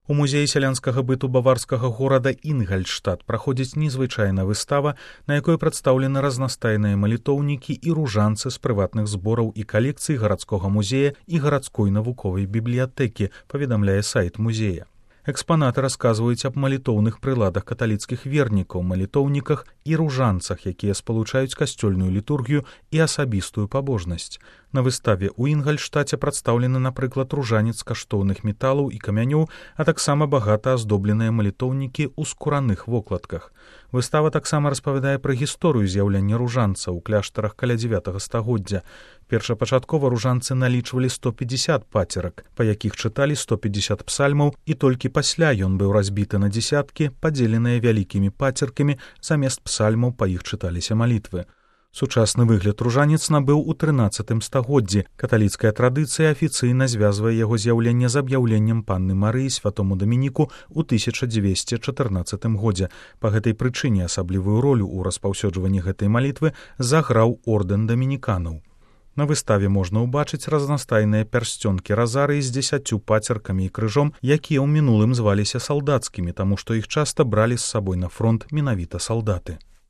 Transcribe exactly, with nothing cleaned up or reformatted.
У музеі сялянскага быту баварскага горада Інгальштадт праходзіць незвычайная выстава, на якой прадстаўлены разнастайныя малітоўнікі і ружанцы з прыватных збораў і калекцый гарадскога музея і гарадской навуковай бібліятэкі, паведамляе сайт музея. Экспанаты расказваюць аб малітоўных прыладах каталіцкіх вернікаў, малітоўніках і ружанцах, якія спалучаюць касцёльную літургію і асабістую пабожнасць. На выставе ў Інгальштаце прадстаўлены, напрыклад, ружанец каштоўных металаў і камянёў, а таксама багата аздобленыя малітоўнікі ў скураных вокладках. Выстава таксама распавядае пра гісторыю з'яўлення ружанца ў кляштарах каля дзевятага стагоддзя. Першапачаткова ружанцы налічвалі сто пятьдесят пацерак, па якіх чыталі сто пятьдесят псальмаў, і толькі пасля ён быў разбіты на дзесяткі, падзеленыя вялікімі пацеркамі, замест псальмаў па іх чыталіся малітвы. Сучасны выгляд ружанец набыў у трынаццатым стагоддзі. Каталіцкая традыцыя афіцыйна звязвае яго з'яўленне з аб'яўленнем панны Марыі святому Дамініку ў тысяча дзвесце чатырнаццатым годзе. Па гэтай прычыне асаблівую ролю ў распаўсюджванні гэтай малітвы заграў ордэн дамініканаў. На выставе можна ўбачыць разнастайныя пярсцёнкі разарыі з дзесяццю пацеркамі і крыжом, якія ў мінулым зваліся салдацкімі, таму што іх часта бралі з сабой на фронт менавіта салдаты.